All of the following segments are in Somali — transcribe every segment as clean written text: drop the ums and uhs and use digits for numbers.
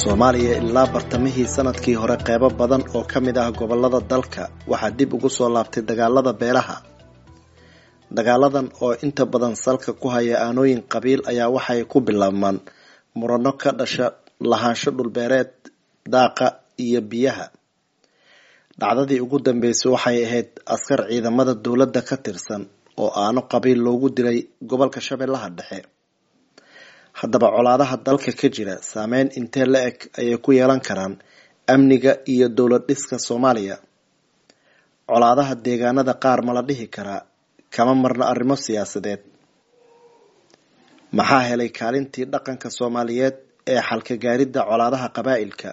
Soomaaliya ilaa bartamihii sanadkii hore qeybo badan oo ka mid ah gobolada dalka waxaa dib ugu soo laabtay dagaalada beelaha. Dagaaladan oo inta badan salka ku haya aanooyin qabiil ayaa waxay ku bilaabmaan murano ka dhasha lahaansho dhulbeereed, daaqa iyo biyaha. Dhacdadii ugu dambeysay waxay ahayd askar ciidamada dowladda ka tirsan oo aano qabiil loogu dilay gobolka Shabeellaha Dhexe. Haddaba colaadaha dalka ka jira saameyn intee la eg ayay ku yeelan karaan amniga iyo dowlad dhiska Soomaaliya? Colaadaha deegaanada qaar ma la dhihi karaa kama marna arrimo siyaasadeed? Maxaa helay kaalintii dhaqanka Soomaaliyeed ee xalka gaaridda colaadaha qabaa'ilka?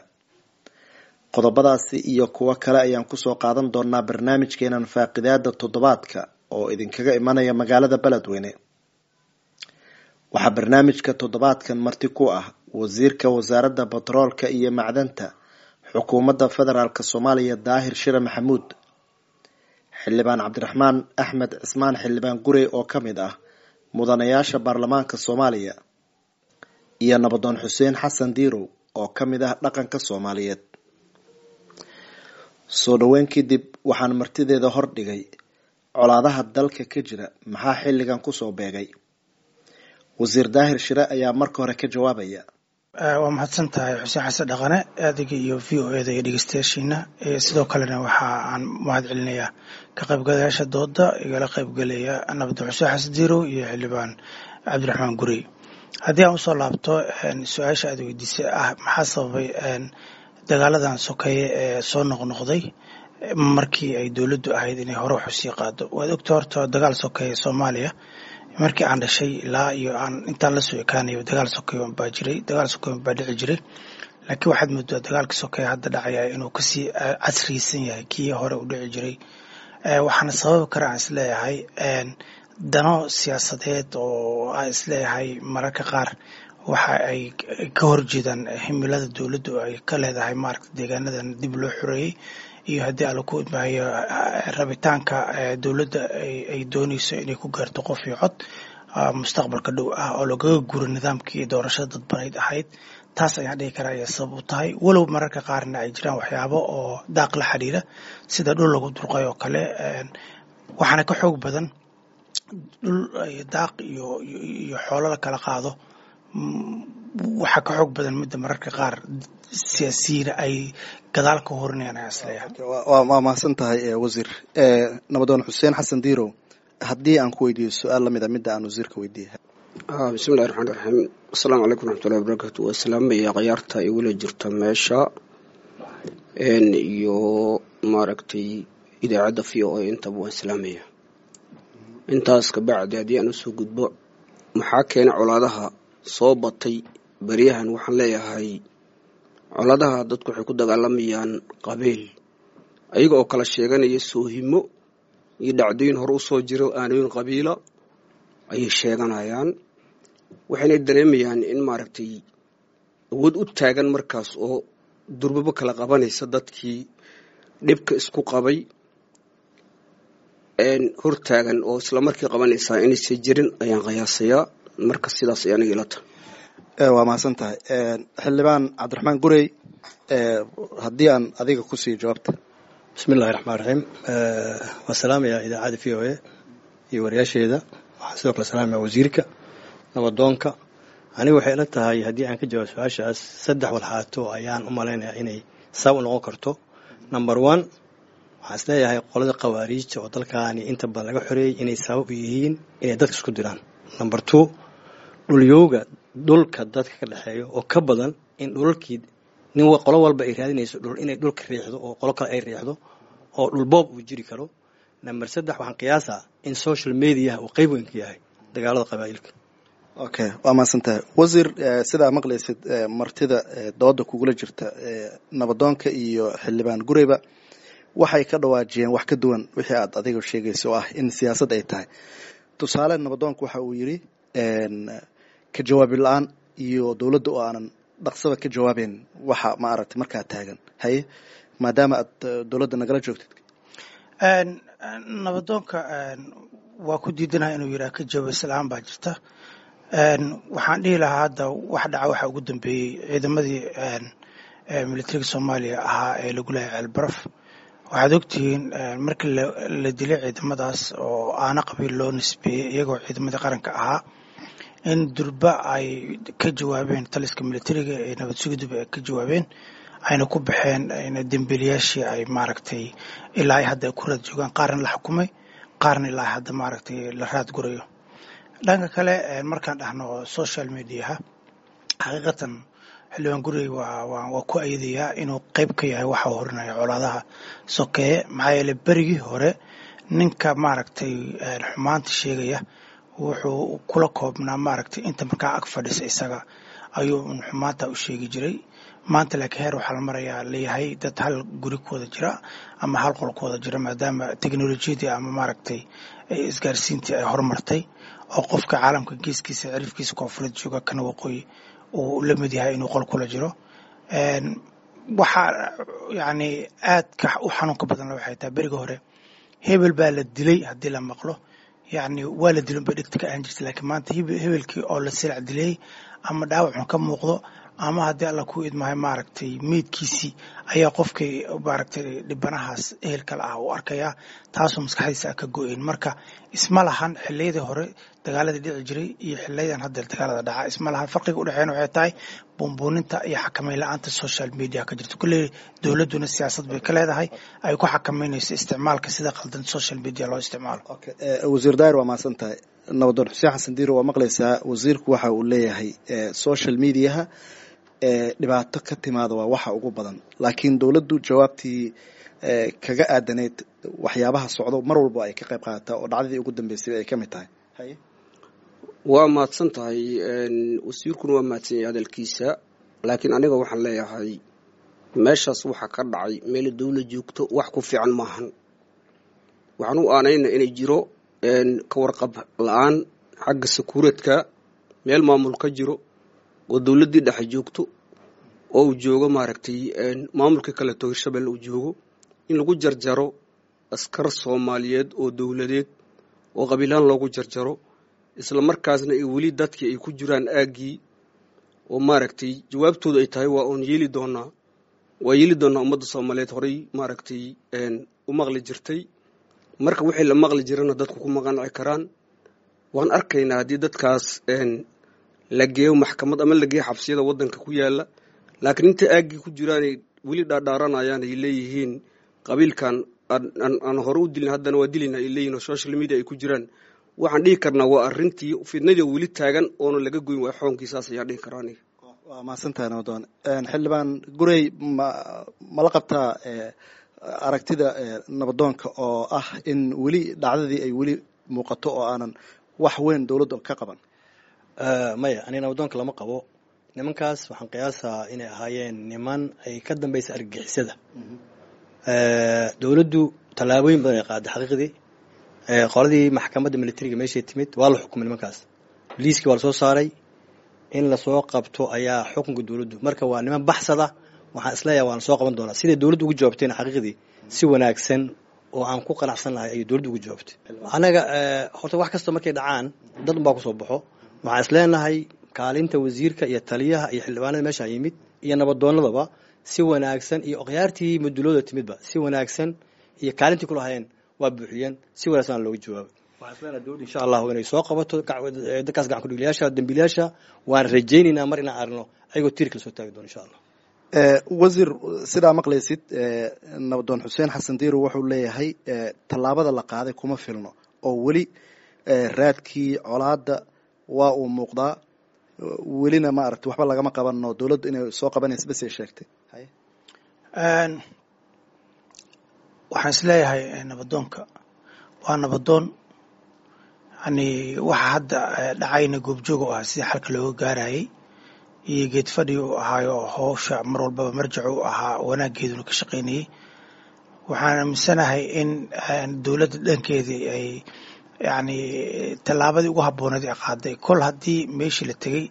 Qodobadaasi iyo kuwo kale ayaan kusoo qaadan doonaa barnaamijkeenan faaqidaada toddobaadka oo idinkaga imanaya magaalada Beledweyne. Waxaa barnaamijka toddobaadkan marti ku ah wasiirka wasaaradda batroolka iyo macdanta xukuumadda federaalk Soomaaliya Daahir Shire Maxamuud, xildhibaan Cabdiraxmaan Axmed Cismaan xildhibaan Gurey oo ka mid ah mudanayaasha baarlamaanka Soomaaliya, iyo nabadoon Xuseen Xasan Diirow oo ka mid ah dhaqanka Soomaaliyeed. Soo dhaweyn kadib waxaan martideeda hordhigay colaadaha dalka ka jira maxaa xilligan kusoo beegay? Wasiir Daahir Shire ayaa marka hore ka jawaabaya. Waa mahadsan tahay Xuseen Xasan Dhaqane, adiga iyo v o eda iyo dhegeystayaashiina. Sidoo kalena waxa aan mahad celinayaa ka qaybgalayaasha dooda igala qaybgalaya nabadoon Xuseen Xasan Diirow iyo xildhibaan Cabdiraxmaan Gurey. Haddii aan usoo laabto su-aasha aad weydiisay ah maxaa sababay dagaaladan sokeeye ee soo noqnoqday markii ay dowladdu ahayd inay hore wax usii qaado. Waad ogta horta dagaal sokeeye Soomaaliya markii aan dhashay ilaa iyo aan intaan lasoo ekaanayo dagaal sokeeye baa jiray, dagaal sokeeye baa dhici jiray. Laakiin waxaad moodaa dagaalka sokeeye hadda dhacaya inuu kasii casriysan yahay kii hore u dhici jiray. Waxaana sababi kara aan isleeyahay dano siyaasadeed oo aan isleeyahay mararka qaar waxa ay ka horjeedaan himilada dowladdu ay ka leedahay maaragta deegaanadan dib loo xoreeyey iyo haddii alla ku idmaayo rabitaanka dowladda ay doonayso inay ku gaarto qof iyo cod mustaqbalka dhow ah oo lagaga guro nidaamkii doorashada dadbanayd ahayd. Taas ayaan dhihi karaa ayaa sabab u tahay, walow mararka qaarna ay jiraan waxyaabo oo daaq la xiriira sida dhul lagu durqay oo kale. Waxaana ka xoog badan dhul daaq iyo iyo xoolo la kala qaado, waxaa ka xoog badan midda mararka qaar siyaasiyiina ay gadaal ka horinayaan ayaan isleeyahay. Waa mahadsan tahay wasiir. Nabadoon Xuseen Xasan Diirow, haddii aan ku weydiiyo su-aal lamid a midda aan wasiirka weydiiyey. Bismillahi raxmaan raxiim. Asalaamu calaykum raxmatullahi wabarakaatu. Waa salaamaya khayaarta igula jirta meesha iyo maaragtay idaacadda v o a intaba waan salaamaya. Intaas kabacdi haddii aan usoo gudbo maxaa keena colaadaha soo batay beryahan, waxaan leeyahay colaadaha dadku waxay ku dagaalamayaan qabiil, ayaga oo kala sheeganaya soohimo iyo dhacdooyin hore usoo jiro aanooyin qabiila ayay sheeganayaan. Waxayna dareemayaan in maaragtay awood u taagan markaas oo durbabo kala qabanaysa dadkii dhibka isku qabay hortaagan oo isla markii qabanaysaa inaysan jirin ayaan qiyaasayaa. Marka sidaas ay aniga ila tahay. Waa mahadsan tahay xildhibaan Cabdiraxmaan Gurey, haddii aan adiga kusii jawaabta. Bismillahi raxmaan raxiim. Waan salaamayaa idaacadda v o a iyo wariyaasheeda. Waxaan sidoo kale salaamaya wasiirka, nabadoonka. Aniga waxay ila tahay haddii aan ka jawaab su-aashaas saddex walxaato ayaan u malaynayaa inay sabab u noqon karto. Number one, waxaan isleeyahay qolada khawaariijta oo dalkaani inta badan laga xoreeyey inay sabab u yihiin inay dadka isku diraan. Number two, dhulyowga dhulka dadka ka dhexeeyo oo ka badan in dhulalkii nin qolo walba ay raadinayso dhul inay dhulka riixdo oo qolo kale ay riixdo oo dhulboob uu jiri karo. Number saddex, waxaan qiyaasaa in social mediaha uu qeyb weyn ka yahay dagaalada qabaa'ilka. Okay, waa mahadsan tahay wasiir. Sidaa maqlaysid martida dooda kugula jirta nabadoonka iyo xildhibaan Gureyba waxay ka dhawaajiyeen wax ka duwan wixii aad adiga sheegaysa oo ah in siyaasad ay tahay. Tusaale, nabadoonku waxa uu yidhi ka jawaabi la-aan iyo dowladda oo aanan dhaqsaba ka jawaabeyn waxa ma aragtay markaa taagan. Haye Maadaama aad dowladda nagala joogtid. Nabadoonka waa ku diidanaha inuu yidhaha ka jawaabis la-aan baa jirta. Waxaan dhihi lahaa hadda wax dhaca waxaa ugu dambeeyey ciidamadii militariga Soomaaliya ahaa ee lagu laayay Ceelbaraf. Waxaad ogtihiin markii la dilay ciidamadaas oo aana qabiil loo nisbeeyey, iyagoo ciidamadii qaranka ahaa, in durba ay ka jawaabeen taliska militariga ee nabad sugidduba ay ka jawaabeen, ayna ku baxeen dembiilayaashii ay maaragtay ilaa ay hadda ku raad joogaan, qaarna la xukumay, qaarna ilaa hadda maaragtay la raad gurayo. Dhanka kale, markaan dhahno social mediaha, xaqiiqatan Xildhibaan Gurey waa ku ayadayaa inuu qayb ka yahay waxa uu horinaya colaadaha sokeeye. Maxaa yeeley, berigii hore ninka maaragtay xumaanta sheegaya wuxuu kula koobnaa maaragtay inta markaa ag fadhisa, isaga ayuu un xumaanta u sheegi jiray. Maanta laakiin heer waxaa la marayaa leeyahay dad hal guri ku wada jira ama hal qol ku wada jira, maadaama teknolojiyadii ama maaragtay isgaarsiintii ay horumartay, oo qofka caalamka geeskiisa cirifkiisa koonfureed jooga kana waqooyi uu la mid yahay inuu qol kula jiro. Waxaa yacni aadka u xanuunka badan waxay tahay, beriga hore hebel baa la dilay haddii la maqlo, yacni waa la dilin bay dhegta ka ahan jirtay. Laakiin maanta hebelkii oo la silac dilay ama dhaawacun ka muuqdo ama haddii Alla ku idmahay maaragtay meydkiisii ayaa qofkii maaragtay dhibanahaas ehelkale ah uu arkayaa, taasoo maskaxdiisa ka go-een. Marka isma lahan xilliyadii hore dagaaladii dhici jiray iyo xiliyadan hadda dagaalada dhaca, isma lahan. Farqiga udhexeeyana waxay tahay buunbuuninta iyo xakameyn la-aanta social media ka jirta. Kulley dowladduna siyaasad bay ka leedahay ay ku xakameynayso isticmaalka sida qaldan social media loo isticmaalo. Wasiir Daahir, waa mahadsan tahay. Nabadoon Xuseen Xasan Diiro, waa maqlaysaa wasiirku waxa uu leeyahay social mediaha dhibaato ka timaada waa waxa ugu badan, laakiin dowladdu jawaabtii kaga aadaneyd waxyaabaha socdo mar walba ay ka qayb qaadataa, oo dhacdadii ugu dambeysay ay ka mid tahay. Waa mahadsan tahay, wasiirkuna waa mahadsan yahay hadalkiisa, laakiin aniga waxaan leeyahay meeshaas waxaa ka dhacay meel dowlad joogto wax ku fiican maahan. Waxaan u aanayna inay jiro ka warqab la-aan xagga sakuuradka. Meel maamul ka jiro oo dowladdii dhexe joogto oo uu joogo maaragtay maamulkii kaleeto Hirshabelle uu joogo, in lagu jarjaro askar Soomaaliyeed oo dowladeed oo qabiilaan loogu jarjaro, isla markaasna ay weli dadkii ay ku jiraan aaggii oo maaragtay jawaabtoodu ay tahay waa oon yeeli doonaa, waa yeeli doonaa, ummadda Soomaaliyeed horay maaragtay u maqli jirtay. Marka wixii la maqli jirana dadku kuma qanci karaan. Waan arkaynaa haddii dadkaas la geeyo maxkamad ama la geeyo xabsiyada waddanka ku yaala, laakiin inta aaggii ku jiraanay weli dhaadhaaranayaan ay leeyihiin qabiilkan aan hore u dilin haddana waa dilina ay leeyihin oo social media ay ku jiraan, waxaan dhihi karnaa waa arrintii fidnadii weli taagan oona laga goyn waay xoonkii. Saas ayaan dhihi karaa aniga. Waa mahadsantahay, nabadoon. Xildhibaan Gurey, ma mala qabtaa aragtida nabadoonka oo ah in weli dhacdadii ay weli muuqato oo aanan wax weyn dowladda ka qaban? Maya, aniga nabadoonka lama qabo. Nimankaas waxaan qiyaasaa inay ahaayeen niman ay ka dambaysa argagixisada. Dowladdu tallaabooyin badan ay qaaday xaqiiqdii. Qoladii maxkamadda militariga meeshay timid waa la xukumay nimankaas, liiskii waa lasoo saaray, in lasoo qabto ayaa xukunka dowladdu. Marka waa niman baxsada, waxaan isleeyahay waan soo qaban doonaa. Siday dowladdu ugu jawaabtayna xaqiiqdii si wanaagsan oo aan ku qanacsan lahay ayay dowladdu ugu jawaabtay. Anaga horta wax kasta markay dhacaan dad unbaa kusoo baxo. Waxaan isleenahay kaalinta wasiirka iyo taliyaha iyo xildhibaanada meeshaan yimid iyo nabadoonadaba si wanaagsan iyo okhyaartii mudulooda timidba si wanaagsan iyo kaalintii kulahayeen waa buuxiyeen, si wanaagsan looga jawaabay. Waxaan isleenahay dowladda insha Allahu inay soo qabato dadkaas gacan kudhigliyaasha, dambiilayaasha. Waan rajaynaynaa mar inaan aragno ayagoo tiirka lasoo taagi doono insha Allah. Wasiir, sidaa maqlaysid, nabadoon Xuseen Xasan Diiro wuxuu leeyahay tallaabada la qaaday kuma filno oo weli raadkii colaadda waa uu muuqdaa, welina maaragtay waxba lagama qabano, dowladdu inay soo qabanaysa bes ay sheegtay. Waxaan isleeyahay nabadoonka waa nabadoon, yani waxa hadda dhacayna goobjoog u ahaa sidii xalka looga gaarayay iyo geed fadhi u ahaayo howsha mar walbaba marjac u ahaa wanaaggeeduna ka shaqaynayay. Waxaan aaminsanahay in dowladda dhankeedii ay yacni tallaabadii ugu habbooneed ay qaaday kol haddii meeshii la tegey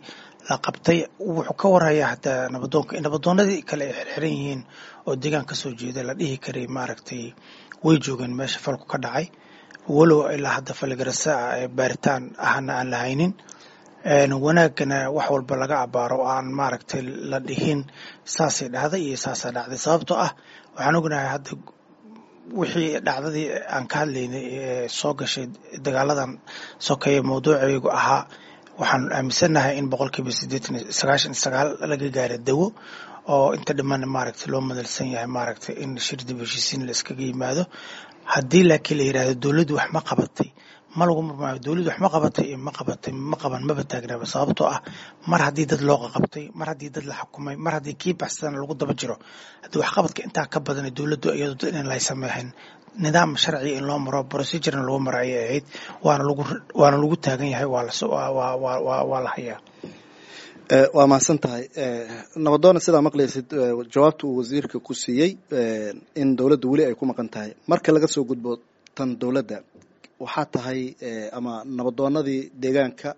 La qabtay wuxuu ka warhayaa hataa nabadoonka in nabadoonadii kale ay xirxiran yihiin oo deegaan kasoo jeeda la dhihi karay maaragtay way joogeen meesha falku ka dhacay, walow ilaa hadda faligarasa ee baaritaan ahna aan la haynin. Wanaagana wax walba laga abaaro oo aan maaragtay la dhihin saasay dhacday iyo saasaa dhacday, sababtoo ah waxaan ognahay hadda wixii dhacdadii aan ka hadlaynay ee soo gashay dagaaladan sokeeye mawduucaygu ahaa. Waxaan aaminsannahay in 80% 99% laga gaaray dawo oo inta dhiman maaragtay loo madalsan yahay maaragtay in shir dib heshiisiin la iskaga yimaado. Haddii laakiin la yidhahdo dowladdu wax ma qabatay, ma lagu murmaayo dowladdu wax ma qabatay iyo ma qabatay ma qaban maba taagnaba, sababtoo ah mar haddii dad loo qaqabtay, mar haddii dad la xukumay, mar haddii kii baxsadana lagu daba jiro, haddii waxqabadka intaa ka badan dowladdu iyadoo dad in lay sameexin nidaam sharci in loo maro, procedurena lagu maro ayay ahayd, waana lagu taagan yahay, waa la hayaa. Waa mahadsan tahay, nabadoona. Sidaa maqlaysid jawaabta uu wasiirka ku siiyey in dowladda weli ay ku maqan tahay. Marka laga soo gudbo tan dowladda, waxaa tahay ama nabadoonadii deegaanka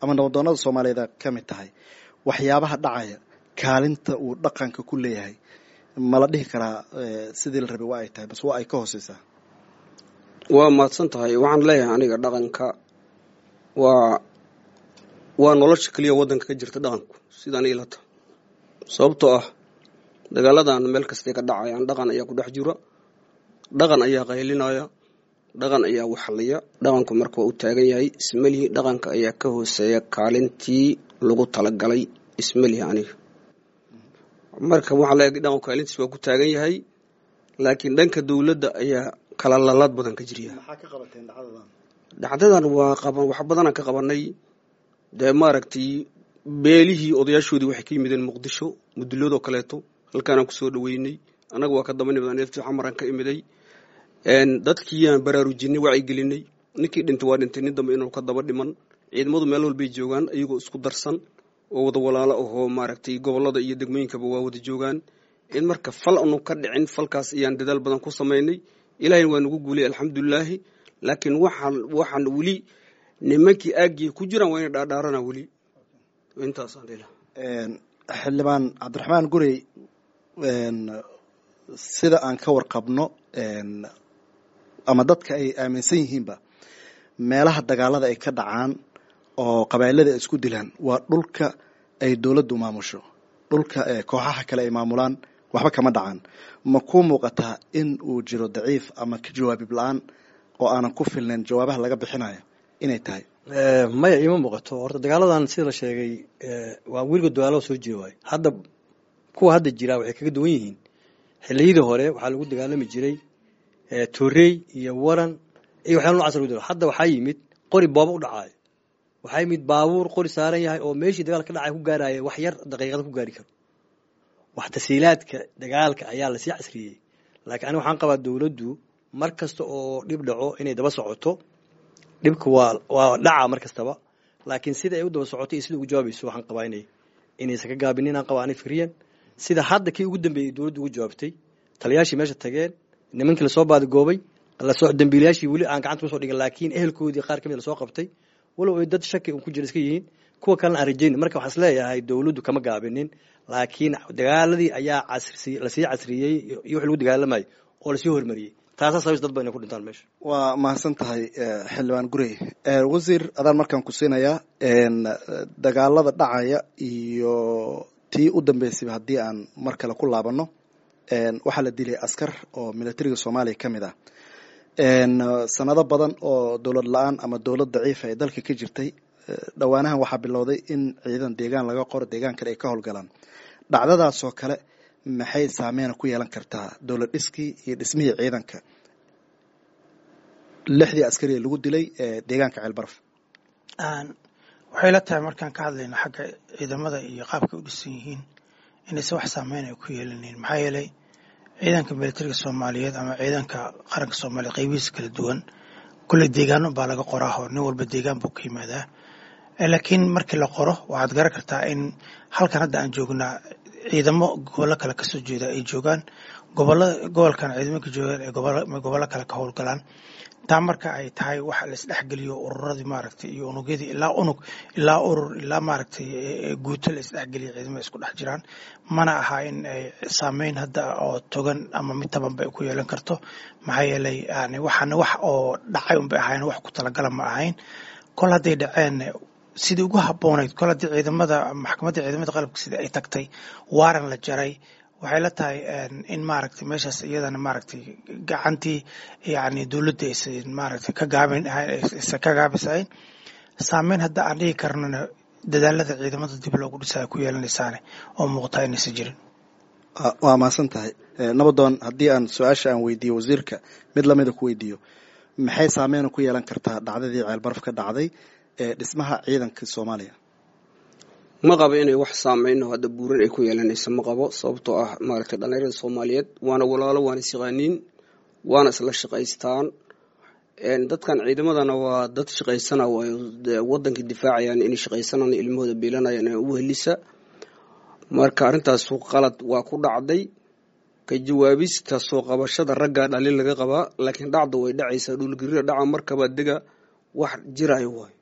ama nabadoonada soomaaliyeed ka mid tahay, waxyaabaha dhacaya kaalinta uu dhaqanka ku leeyahay ma la dhihi karaa sidii la rabay waa ay tahay bas waa ay ka hooseysaa? Waa mahadsan tahay. Waxaan leeyahay aniga dhaqanka waa nolosha keliya waddanka ka jirta dhaqanku, sidaan ila tahay, sababtoo ah dagaaladan meel kastay ka dhacayaan dhaqan ayaa ku dhex jira, dhaqan ayaa qaylinaya, dhaqan ayaa waxliya. Dhaqanku marka waa u taagan yahay. Ismalihi dhaqanka ayaa ka hooseeya kaalintii lagu talagalay, ismalihi aniga. Marka waxaa leeyahay dhaqanku kaalintiis waa ku taagan yahay, laakiin dhanka dowladda ayaa kala lalaad badan ka jirya. Maxaa ka qabateen dhacdadan? Dhacdadan waa qaban, wax badanaan ka qabanay. Dee maaragtay beelihii odayaashoodii waxay ka yimideen Muqdisho, muduloodoo kaleeto halkaanaan kusoo dhaweynay. Annaga waa ka daba nimid, neeftii Xamaraan ka imiday. Dadkiiyaan baraarujinay, wacyigelinay. Ninkii dhintay waa dhintay, nin dambe inuu ka daba dhiman. Ciidamadu meel walbay joogaan iyagoo isku darsan oo wada walaalo ahoo maaragtay gobollada iyo degmooyinkaba waa wada joogaan. In marka fal anu ka dhicin falkaas ayaan dadaal badan ku samaynay. Ilaahayna waa nagu guulay, alxamdulilaahi. Laakiin waxaan weli nimankii aaggii ku jiraan waa inay dhaadhaarana weli intaasaan dhihi lahaa. Xildhibaan Cabdiraxmaan Gurey, sida aan ka warqabno ama dadka ay aaminsan yihiinba, meelaha dagaalada ay ka dhacaan oo qabailada ay isku dilaan waa dhulka ay dowladdu maamusho. Dhulka kooxaha kale ay maamulaan waxba kama dhacaan. Ma kuu muuqataa in uu jiro daciif ama ka jawaabib la-aan oo aanan ku filnayn jawaabaha laga bixinayo inay tahay? Maya, iima muuqato. Horta dagaaladan sida la sheegay waa weligood dagaalada soo jiri waayo. Hadda kuwa hadda jira waxay kaga duwan yihiin xilliyadii hore, waxaa lagu dagaalami jiray toorey iyo waran iyo waxyaala nocaas lagu dagalo. Hadda waxaa yimid qori booba u dhacaayo, waxaa yimid baabuur qori saaran yahay oo meeshii dagaal ka dhacay ku gaaraya wax yar daqiiqada ku gaari karo. Wax tasiilaadka dagaalka ayaa lasii casriyey. Laakiin aniga waxaan qabaa dowladdu mar kasta oo dhib dhaco inay daba socoto. Dhibka waa dhaca mar kastaba, laakiin sida ay u daba socoto iyo sida ugu jawaabayso waxaan qabaa inaysan ka gaabinin aan qabaa ani fikriyan. Sida hadda kii ugu dambeeyey dowladdu ugu jawaabtay, taliyaashii meesha tageen, nimankii lasoo baadigoobay, lasoo dambiilayaashii weli aan gacanta kusoo dhigin, laakiin ehelkoodii qaar ka mid lasoo qabtay, walow ay dad shaki un ku jira iska yihiin, kuwa kalena aan rajayn. Marka waxaan isleeyahay dowladdu kama gaabinin, laakiin dagaaladii ayaa casri lasii casriyey iyo wix lagu dagaalamayay oo lasii hormariyey, taasaa sababis dad badan inay ku dhintaan meesha. Waa mahadsan tahay, xildhibaan Gurey. Wasiir, adaan markaan ku siinayaa dagaalada dhacaya iyo tii u dambeysayba haddii aan mar kale ku laabanno, waxaa la dilay askar oo militariga Soomaaliya ka mid ah. Sanado badan oo dowlad la-aan ama dowlad daciifa ay dalka ka jirtay, dhowaanahan waxaa bilowday in ciidan deegaan laga qoro, deegaan kale ay ka howlgalaan. Dhacdadaasoo kale maxay saameyn ku yeelan kartaa dowlad dhiskii iyo dhismihii ciidanka, lixdii askari ee lagu dilay deegaanka Ceelbaraf? Waxay la tahay markaan ka hadlayno xagga ciidamada iyo qaabkay u dhisan yihiin inaysan wax saameyn ay ku yeelanayn, maxaa yeelay ciidanka militariga Soomaaliyeed ama ciidanka qaranka Soomaaliyeed qaybihiisa kala duwan kulley deegaano baa laga qoraa oo nin walba deegaan buu ka yimaadaa. Laakiin markii la qoro waxaad garan kartaa in halkan hadda aan joognaa Ciidamo gobollo kale kasoo jeeda ay joogaan gobolada, gobolkan ciidamo ka joogaan ay gobollo kale ka howlgalaan. Taa marka ay tahay waxa la isdhexgeliyo ururadii maaragtay iyo unugyadii, ilaa unug, ilaa urur, ilaa maaragtay guuto la isdhexgeliyo, ciidamada isku dhex jiraan, mana aha in ay saameyn hadda oo togan ama mid tabanba ay ku yeelan karto. Maxaa yeelay yani waxaana wax oo dhacay unbay ahayn, wax ku talagala ma ahayn. Kol hadday dhaceen, sidii ugu habboonayd, kol haddii ciidamada maxkamadda ciidamada qalabka sida ay tagtay, waaran la jaray, waxay la tahay in maaragtay meeshaas iyadana maaragtay gacantii yani dowladda aysan maaragtay ka gaabin, aysan ka gaabisayn. Saameyn hadda aan dhihi karnona dadaalada ciidamada dib loogu dhisayo ku yeelanaysaane oo muuqataa inaysan jirin. Waa mahadsan tahay, Nabadoon. Haddii aan su-aasha aan weydiiyo wasiirka mid lamida ku weydiiyo, maxay saameyn ku yeelan kartaa dhacdadii Ceelbaraf ka dhacday ee dhismaha ciidanka Soomaaliya? Ma qabo inay wax saameyno hadda buuran ay ku yeelanayso, ma qabo, sababtoo ah maaragtay dhalinyarada Soomaaliyeed waana walaalo, waana isyaqaaniin, waana isla shaqaystaan. Dadkan ciidamadana waa dad shaqaysana, wadankii difaacayaan, inay shaqaysanaan, ilmahooda biilanayaan ee ugu helisa. Marka arrintaas qalad waa ku dhacday, ka jawaabista soo qabashada raggaa dhalin laga qabaa, laakiin dhacda way dhacaysaa. Dhulgariira dhaca markaba dega wax jiraayo waay,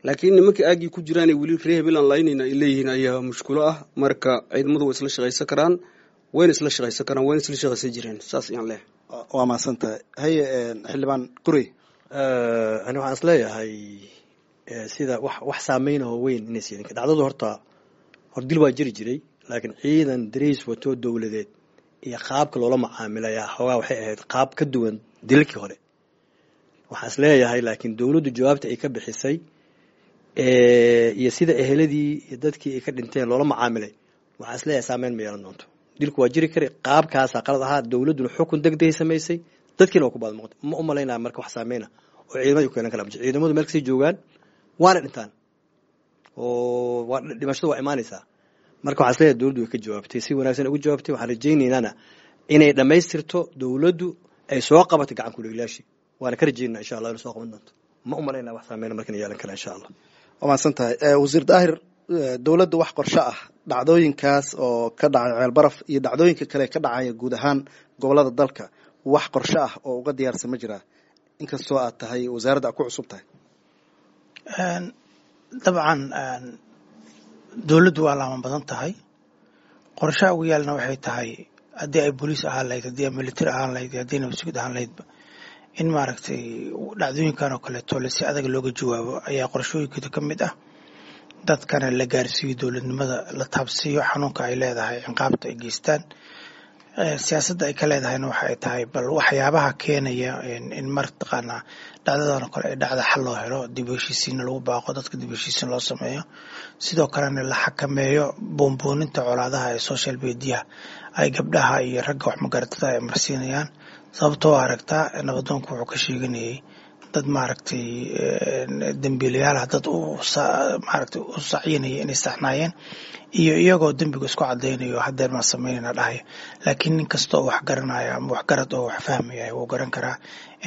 laakiin nimanka aagii ku jiraanay weli ree hebelan laynayna ay leeyihiin ayaa mushkulo ah. Marka ciidamadu way isla shaqaysan karaan, wayna isla shaqaysan karaan, wayna isla shaqaysan jireen, saas ayaan leeyahay. Waa mahadsan tahay. Haye, xildhibaan Gurey. Ani waxaan is leeyahay sida wax saameyn oo weyn inay siinin dhacdadu. Horta hor dil waa jiri jiray, laakiin ciidan dariis wato dowladeed iyo qaabka loola macaamilayaa xoogaa waxay ahayd qaab ka duwan dilalkii hore, waxaan is leeyahay. Laakiin dowladdu jawaabta ay ka bixisay iyo sida eheladii iyo dadkii ay ka dhinteen loola macaamilay, waxaan is leeyahay saameyn ma yeelan doonto. Dilku waa jiri kara, qaabkaasaa qalad ahaa, dowladduna xukun degdegay samaysay, dadkiina waa ku baad muuqda. Ma u malaynaya marka wax saameyna oo ciidamada ku yeelan kara. Ciidamadu meel kasii joogaan waana dhintaan oo waa dhimashadu waa imaanaysaa. Marka waxaan is leeyahay dowladdu way ka jawaabtay, si wanaagsan uga jawaabtay. Waxaan rajaynaynana inay dhammaystirto, dowladdu ay soo qabatay gacan ku-dhiiglayaashii, waana ka rajaynaa insha Allah inay soo qaban doonto. Ma u malaynaya wax saameyna markan yeelan kara insha Allah. Waa mahadsan tahay, Wasiir Daahir. Dowladda wax qorsho ah dhacdooyinkaas oo ka dhacay Ceelbaraf iyo dhacdooyinka kale ka dhacaya guud ahaan gobolada dalka, wax qorsho ah oo uga diyaarsan ma jiraa, inkastoo aad tahay wasaaradda aad ku cusub tahay? Dabcan dowladdu waa laaman badan tahay. Qorshaha ugu yaalna waxay tahay, haddii ay booliis ahaan lahayd, haddii ay military ahaan lahayd, haddii nabad ahaan lahaydba, in maaragtay dhacdooyinkan oo kaleeto le si adag looga jawaabo ayaa qorshooyinkeeda ka mid ah. Dadkana la gaarsiiyo dowladnimada, la taabsiiyo xanuunka ay leedahay ciqaabta ay geystaan. Siyaasadda ay ka leedahayna waxa ay tahay bal waxyaabaha keenaya in martaqaanaa dhacdadan oo kale ay dhacda xal loo helo, dib u heshiisiinna lagu baaqo dadka, dib u heshiisiin loo sameeyo, sidoo kalena la xakameeyo buunbuuninta colaadaha ee social mediaha ay gabdhaha iyo ragga wax magaratada ay marsiinayaan. Sababtoo aragtaa nabadoonku wuxuu ka sheeganayay dad maaragtay dembiilayaal ah, dad u maaragtay u sacyinaya inay saxnaayeen iyo iyagoo dembiga isku cadaynayo hadeer maan samaynayna dhahaya. Laakiin nin kasta oo wax garanaya ama wax garad oo wax fahmaya wuu garan karaa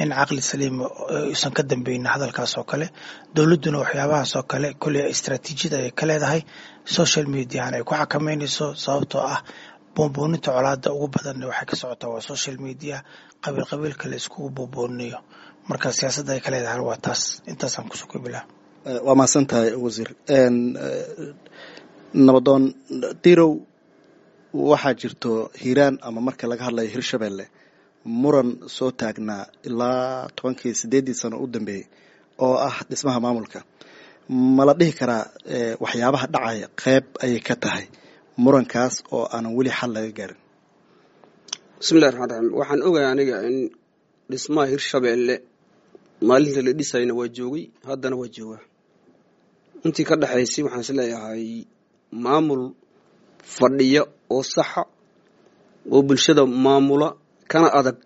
in caqli saliima uusan ka dambeynin hadalkaas oo kale. Dowladduna waxyaabahaas oo kale kolley istaraatiijiyada ay ka leedahay social mediahan ay ku xakameynayso, sababtoo ah buunbuuninta colaada ugu badan waxay ka socotaa waa social media, qabiil qabiilka la iskugu buunbuuninayo. Marka siyaasadda ay ka leedahay waa taas. Intaasaan kusoo koobi lahaa. Waa mahadsan tahay, wasiir. Nabadoon Dirow, waxaa jirto Hiiraan ama marka laga hadlayo Hirshabelle muran soo taagnaa ilaa 10kii 8dii sano u dambeeyey oo ah dhismaha maamulka. Ma la dhihi karaa waxyaabaha dhacaya qeyb ayay ka tahay murankaas oo aanan weli xal laga gaarin? Bismillahi raxmaan raxiim. Waxaan ogahay aniga in dhismaha Hirshabeelle maalinta la dhisayna waa joogay, haddana waa joogaa. Intii ka dhexaysay waxaan is leeyahay maamul fadhiya oo saxa oo bulshada maamula kana adag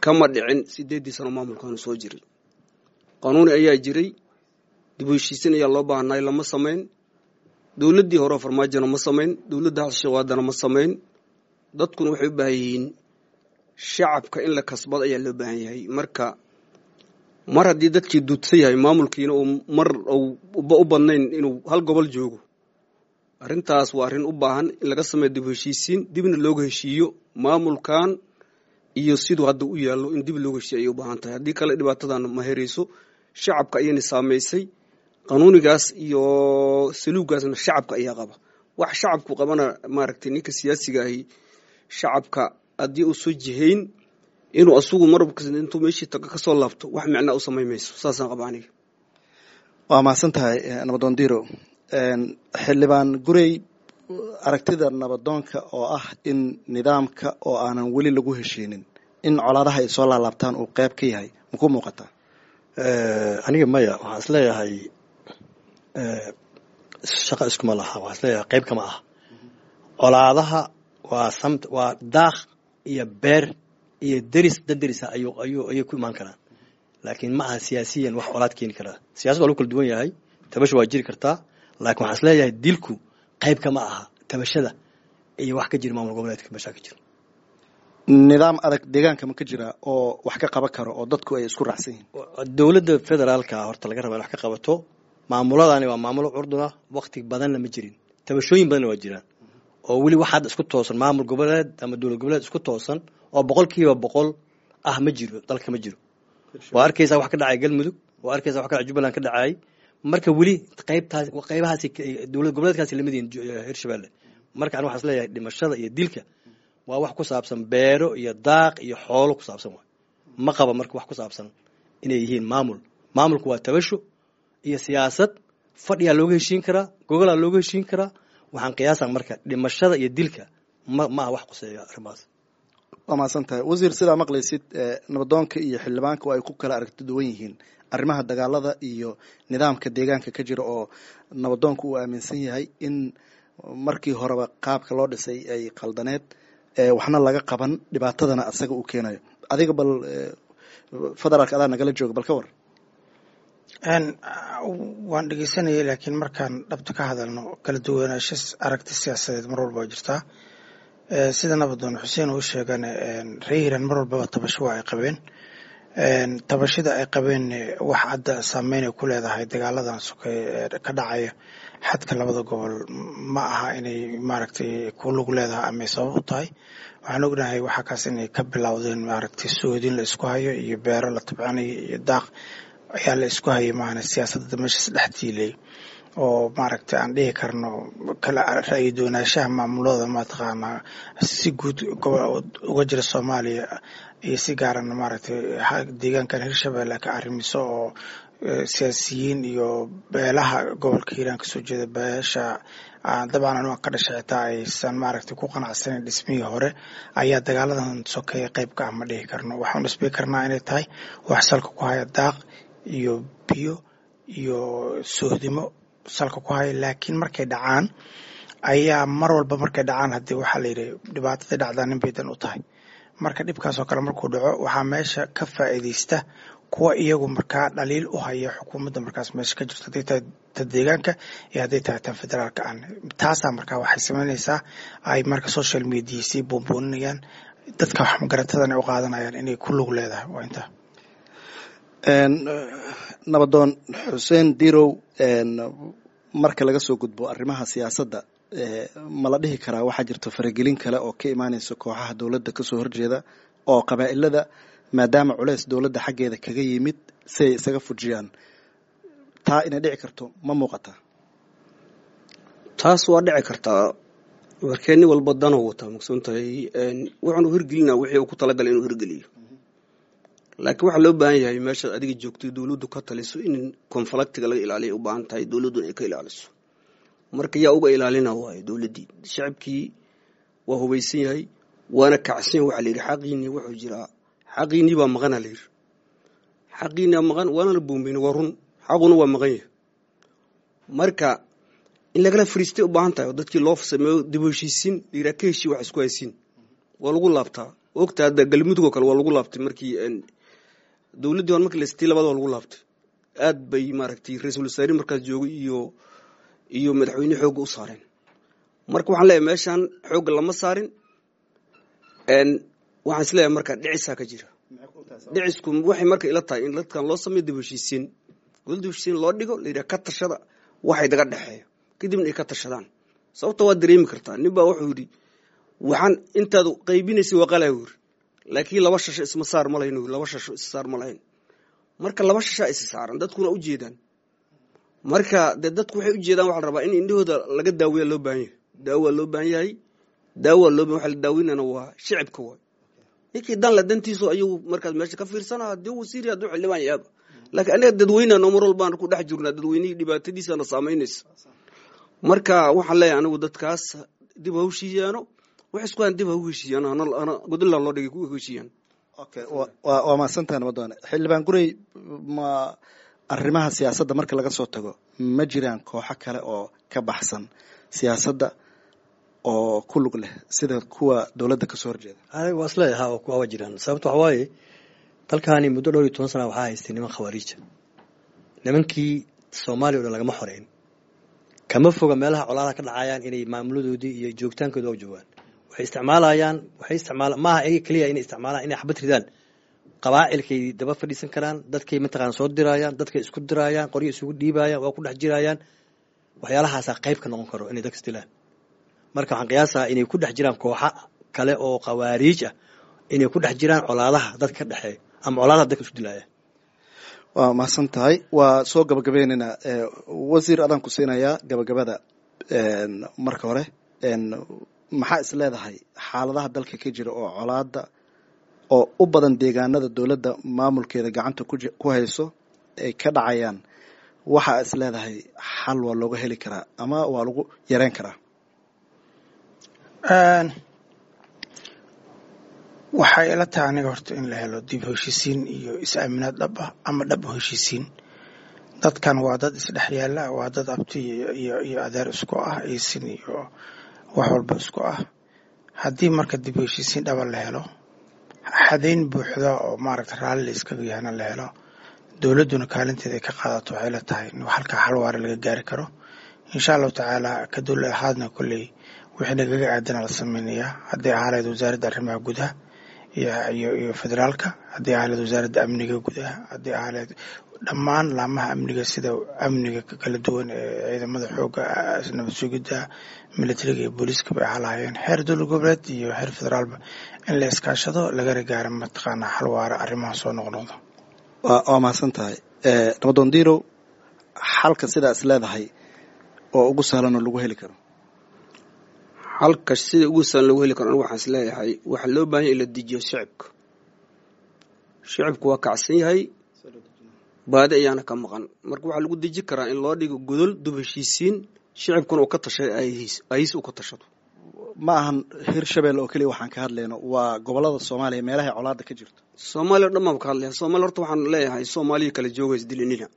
kama dhicin. 8dii sano maamulkaanu soo jiray, qanuuni ayaa jiray, dib u heshiisin ayaa loo baahnay, lama samayn. Dowladdii hore Farmaajona ma samayn, dowladda Xasan Sheekh haddana ma samayn. Dadkuna waxay u baahan yihiin shacabka in la kasbado ayaa loo baahan yahay. Marka mar haddii dadkii duudsan yahay, maamulkiina uu mar u badnayn inuu hal gobol joogo, Arrintaas waa arrin u baahan in laga sameeyo dib heshiisiin, dibna looga heshiiyo maamulkan iyo siduu hadda u yaallo, in dib looga heshiiyo ayay u baahan tahay. Haddii kale dhibaatadan ma herayso, shacabka ayayna saamaysay. Qanuunigaas iyo saluugaasna shacabka ayaa qaba. Wax shacabku qabana, maaragtay, ninka siyaasiga ahi shacabka haddii uu soo jihayn inuu asugu marabka intuu meeshii tago kasoo laabto, wax micnaa u samayn mayso. Saasaan qaba aniga. Waa mahadsan tahay, nabadoon Diro. Xildhibaan Gurey, aragtida nabadoonka oo ah in nidaamka oo aanan weli lagu heshiinin in colaadaha ay soo laalaabtaan uu qeyb ka yahay, maku muuqataa? Aniga maya, waxaan isleeyahay shaqa iskuma laha. Waxaan isleeyahay qayb kama ah colaadaha. Waa samt, waa daaq iyo beer iyo deris, dad derisa ayuu ayuu ayay ku imaan karaan, laakiin ma aha siyaasiyan wax colaad keeni karaa. Siyasad waa lagu kala duwan yahay, tabasho waa jiri kartaa, laakiin waxaan isleeyahay dilku qayb kama aha tabashada iyo wax ka jira maamul goboleedka meeshaa ka jira. Nidaam adag deegaanka ma ka jira oo wax ka qaban karo oo dadku ay isku raacsan yihiin? Dowladda federaalka horta laga raba in wax ka qabato. Maamuladani waa maamulo curduna, wakti badanna ma jirin, tabashooyin badanna waa jiraan oo weli wax hadda isku toosan, maamul goboleed ama dowlad goboleed isku toosan oo 100% ah ma jiro, dalka ma jiro. Waa arkaysaa wax ka dhacay Galmudug, waa arkaysaa wax ka dhacay Jubbaland ka dhacay. Marka weli qaybtaas, qaybahaasi dowlad goboleedkaasi lamid yihiin Hirshabelle. Marka ani waxaan isleeyahay dhimashada iyo dilka waa wax ku saabsan beero iyo daaq iyo xoolo ku saabsan waay. Ma qaba marka wax ku saabsan inay yihiin maamul. Maamulku waa tabasho iyo siyaasad, fadhiyaa looga heshiin karaa, gogolaa looga heshiin karaa. Waxaan qiyaasaa marka dhimashada iyo dilka ma maaha wax quseeya arrimahaas. Waa mahadsan tahay, wasiir. Sidaa maqlaysid, nabadoonka iyo xildhibaanka oo ay ku kala aragti duwan yihiin arrimaha dagaalada iyo nidaamka deegaanka ka jira, oo nabadoonka uu aaminsan yahay in markii horeba qaabka loo dhisay ay qaldaneed, waxna laga qaban, dhibaatadana asaga uu keenayo. Adiga bal federaalka adaa nagala jooga, bal ka war. Waan dhegeysanayay, laakiin markaan dhabta ka hadalno, kala duwanaansho aragti siyaasadeed mar walba waa jirtaa. Sida nabadoon Xuseen uu sheegana, reer Hiiraan mar walbaba tabasho waa ay qabeen. Tabashada ay qabeen wax hadda saameyn ay ku leedahay dagaaladan sokeeye ka dhacaya xadka labada gobol ma aha inay maaragtay ku lug leedahay ama ay sabab u tahay. Waxaan ognahay waxaa kaas inay ka bilowdeen maaragtay soodin la isku hayo iyo beero la tabcanayo iyo daaq ayaa la isku hayay, maahane siyaasadda meeshaas dhex tiilay oo maaragtay aan dhihi karno kala ra'yi doonaanshaha maamulada mataqaanaa si guud uga jira Soomaaliya iyo si gaarana maaragtay deegaankan Hirshabelle ka arrimiso oo siyaasiyiin iyo beelaha gobolka Hiiraan kasoo jeeda, beesha dabcan anigu ka dhashay xitaa aysan maaragtay ku qanacsanayn dhismihii hore ayaa dagaaladan sokeeye qayb ka ah ma dhihi karno. Waxaan dhisbay karnaa inay tahay wax salka ku haya daaq iyo biyo iyo soohdimo salka ku haya, laakiin markay dhacaan ayaa mar walba markay dhacaan, haddii waxaa la yidhi dhibaatada dhacdaa nin bay dan u tahay. Marka dhibkaasoo kale markuu dhaco, waxaa meesha ka faa'iidaysta kuwa iyagu markaa dhaliil u haya xukuumadda markaas meesha ka jirto, hadday tahay ta deegaanka iyo hadday tahay tan federaalka aan. Taasaa markaa waxay samaynaysaa ay marka social media sii buunbuuninayaan, dadka wax magaratadana u qaadanayaan inay ku lug leedahay. Waa intaa. Nabadoon Xuseen Dirow, marka laga soo gudbo arrimaha siyaasadda, ma la dhihi karaa waxaa jirta faragelin kale oo ka imaaneysa kooxaha dowladda kasoo horjeeda oo qabaa'ilada, maadaama culeys dowladda xaggeeda kaga yimid, si ay isaga fujiyaan? Taa inay dhici karto ma muuqataa? Taas waa dhici kartaa. Warkee nin walba danoo wataa, maqsuun tahay, wuxuunu hirgelinaa wixii uu ku talagalay inuu hirgeliyo. Laakiin waxaa loo baahan yahay meeshaad adiga joogtay dowladdu ka taliso in konfalaktiga laga ilaaliya u baahan tahay, dowladduna ay ka ilaaliso. Marka yaa uga ilaalina waayo dowladdii? Shacabkii waa hubaysan yahay waana kacsan yahay. Waxaa la yidhi xaqiinii wuxuu jiraa, xaqiinii baa maqana la yidhi, xaqiinii maqan, waana la boombayna, waa run, xaquna waa maqan yahay. Marka in lagala fariistay u baahan tahay oo dadkii loo sameeyo dib u heshiisiin la yidhaha, ka heshii wax isku haysiin waa lagu laabtaa. Ogta hadda Galmudug oo kale waa lagu laabtay markii dowladdii hore, markii la istay labada waa lagu laabtay. Aad bay maaragtay ra-iisul wasaarihi markaas joogay iyo madaxweyne xoogga u saareen. Marka waxaan leeyahay meeshaan xoogga lama saarin. Waxaan is leeyahay marka dhicisaa ka jira. Dhicisku waxay marka ila tahay in dadkan loo sameeyo dib u heshiisiin, dowladda heshiisiin loo dhigo, la yidhaha ka tashada waxay daga dhexeeyo, kadibna ay ka tashadaan. Sababta waad dareemi kartaa, nin baa wuxuu yidhi waxaan intaad qaybinaysay waa qalaa yiri, laakiin laba shasho isma saar ma lahayn, laba shasho is saar ma lahayn. Marka laba shashaa is saaran, dadkuna u jeedaan. Marka dee dadku waxay u jeedaan, waxaa la rabaa in indhahooda laga daaweeya loo baahan yahay, daawa loo baahan yahay, daawa loo baahan. Waxa la daaweynana waa shicibka waay. Ninkii dan la dantiisu ayuu markaas meesha ka fiirsana, haddii wasiir, hadduu xildhibaan yaaba. Laakiin aniga dadweynena mar walbaan ku dhex jirnaa, dadweynihii dhibaatadiisana saamaynaysa. Marka waxaan leeyahay anigu dadkaas dib ha heshiiyaano, wax isku aan dib ha u heshiiyaan, hana godilla loo dhigay ku heshiiyaan. Okay, waa mahadsantahay nabadoone. Xildhibaan Gurey, ma arrimaha siyaasadda marka laga soo tago, ma jiraan kooxo kale oo ka baxsan siyaasadda oo ku lug leh sida kuwa dowladda kasoo horjeeda? Waa isleeyahay, ha, waa jiraan. Sababta waxa waaye dalkaani muddo dhowr iyo toban sana waxaa haystay niman khawaariija. Nimankii Soomaaliya o dhan lagama xoreyn. Kama foga meelaha colaadaha ka dhacayaan inay maamuladoodii iyo joogitaankooda oo joogaan. Waxay isticmaalayaan, waxay isticmaala maaha iyaga keliya inay isticmaalaan inay xabad ridaan. Qabaa'ilkay daba fadhiisan karaan, dadkay mataqaana soo diraayaan, dadkay isku diraayaan, qoryo isugu dhiibayaan, waa ku dhex jiraayaan. Waxyaalahaasaa qayb ka noqon karo inay dadka isdilaan. Marka waxaan qiyaasaa inay ku dhex jiraan kooxa kale oo khawaariij ah, inay ku dhex jiraan colaadaha dadka ka dhexeeya ama colaadaha dadka isku dilaaya. Waa mahadsan tahay. Waa soo gabagabeynaynaa. Wasiir, adaan ku siinayaa gabagabada. Marka hore, maxaa is leedahay xaaladaha dalka ka jira oo colaada oo u badan deegaanada dowladda maamulkeeda gacanta ku hayso ay ka dhacayaan, waxaa is leedahay xal waa looga heli karaa ama waa lagu yareyn karaa? Waxay ila tahay aniga horta in la helo dib heshiisiin iyo is-aaminaad dhab ah ama dhab u heshiisiin. Dadkan waa dad isdhex yaala, waa dad abti iyo adeer isku ah, isin iyo wax walba isku ah. Haddii marka dib u heshiisiin dhaba la helo, xadayn buuxda oo maaragta raalli la iskaga yahana la helo, dowladduna kaalinteeda ay ka qaadato, waxay la tahay in halkaa xal waara laga gaari karo, insha Allahu tacaala. Ka dowlad ahaadna kolley wixii nagaga aadana la sameynayaa, hadday ahaa lahayd wasaaradda arrimaha gudaha iyo federaalka, haddii ahaa lahayd wasaaradda amniga gudaha, haddii ahaa lahayd dhammaan laamaha amniga, sida amniga kala duwan ee ciidamada xoogga, nabad sugidda, militariga iyo booliiska bay ahaa lahaayeen, xeer dowlad goboleed iyo xeer federaalba, in la iskaashado lagana gaaro mataqaanaa xal waara arrimaha soo noqnoqda. Waa mahadsan tahay Nabadoon Dirow. Xalka sidaa is leedahay oo ugu sahlan oo lagu heli karo? Halka sida ugu sahlan lagu heli karo, anigu waxaan is leeyahay waxaa loo baahan yahay in la dejiyo shicibka. Shicibku waa kacsan yahay, baadi ayaana ka maqan. Marka waxaa lagu deji karaa in loo dhigo godol dub heshiisiin, shicibkuna uu ka tashay aayihiis, aayihiis uu ka tashado. Ma ahan Hirshabelle oo keliya waxaan ka hadlayno, waa gobolada Soomaaliya meelahay colaada ka jirto. Soomaaliya o dhan baan ka hadlaya. Soomaaliya horta waxaan leeyahay, Soomaaliya kala jooga, isdilinina,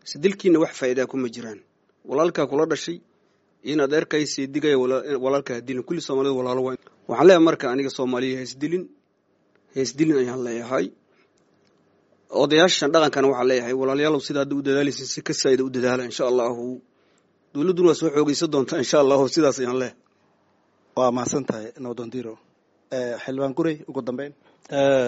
isdilkiina wax faa'iidaa kuma jiraan. Walaalkaa kula dhashay in adeerkay seedigaya, walaalkaa ha dilin. Kulli Soomaalida walaalo waa. Waxaan leeyahay marka aniga Soomaaliya ha isdilin, ha isdilin ayaan leeyahay. Odayaashan dhaqankana waxaan leeyahay, walaalayaalow, sida hadda u dadaalaysa si ka saa'ida u dadaala, insha Allahu. Dowladduna waa soo xoogaysan doontaa, insha Allahu. Sidaas ayaan leeyahay. Waa mahadsan tahay Nabadoon Dirow. Xildhibaan Gurey, ugu dambeyn.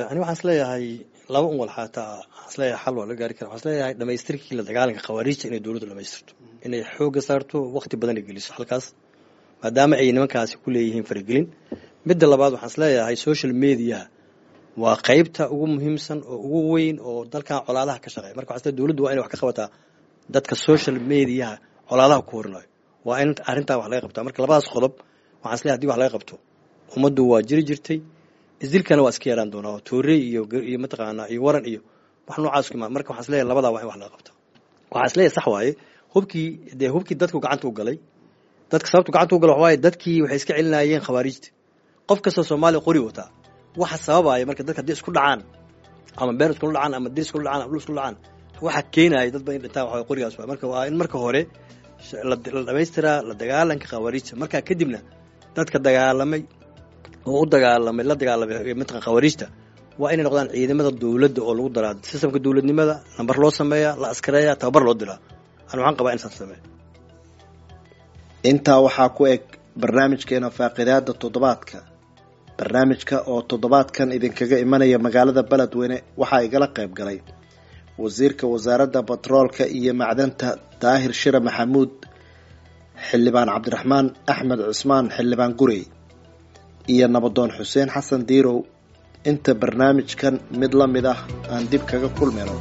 Ani waxaan is leeyahay laba un walxaata waxaan is leeyahay xal waa laga gaari kara. Waxaan is leeyahay dhamaystirkii la dagaalanka khawaariijta inay dowladdu dhamaystirto, inay xoogga saarto, waqti badan ay geliso halkaas, maadaama ay nimankaasi ku leeyihiin faragelin. Midda labaad, waxaan is leeyahay social mediaha waa qaybta ugu muhiimsan oo ugu weyn oo dalkan colaadaha ka shaqeeya. Marka waxaan is leeyahay dowladdu waa inay wax ka qabataa dadka social mediaha colaadaha ku horinayo, waa in arrintaa wax laga qabtaa. Marka labadaas qodob waxaan is leeyahay hadii wax laga qabto, ummaddu waa jiri jirtay, isdilkana waa iska yaraan doonaa, oo toorey iyo mataqaanaa iyo waran iyo wax noocaas ku imaan. Marka waxaan is leeyahay labadaa waa in wax laga qabto. Waxaan is leeyahay sax waaye, hubkii dee hubkii dadku gacanta u galay, dadka sababtu gacanta u galay waxa waaye dadkii waxay iska celinayeen khawaariijta. Qof kastoo Soomaaliya qori wataa. Waxa sababaya marka dadka haddii isku dhacaan, ama beer iskula dhacaan, ama dir iskula dhacaan, ama dhul iskula dhacaan, waxa keenaya dad ba in dhintaan waxa waaye qorigaas waay. Marka waa in marka hore la dhamaystiraa la dagaalanka khawaariijta, markaa kadibna dadka dagaalamay oo u dagaalamay la dagaalamay mataqan khawaariijta waa inay noqdaan ciidamada dowladda oo lagu daraa sistamka dowladnimada, nambar loo sameeyaa, la askareeyaa, tababar loo diraa. Ani waxaan qabaa in saas sameeyo. Intaa waxaa ku eg barnaamijkeena faaqidaada toddobaadka. Barnaamijka oo toddobaadkan idinkaga imanaya magaalada Beledweyne waxaa igala qayb galay wasiirka wasaaradda batroolka iyo macdanta Daahir Shire Maxamuud, Xildhibaan Cabdiraxmaan Axmed Cusmaan, Xildhibaan Gurey, iyo nabadoon Xuseen Xasan Diirow. Inta barnaamijkan mid la mid ah aan dib kaga kulmayno,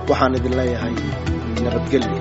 waxaan idin leeyahay nabadgelyo.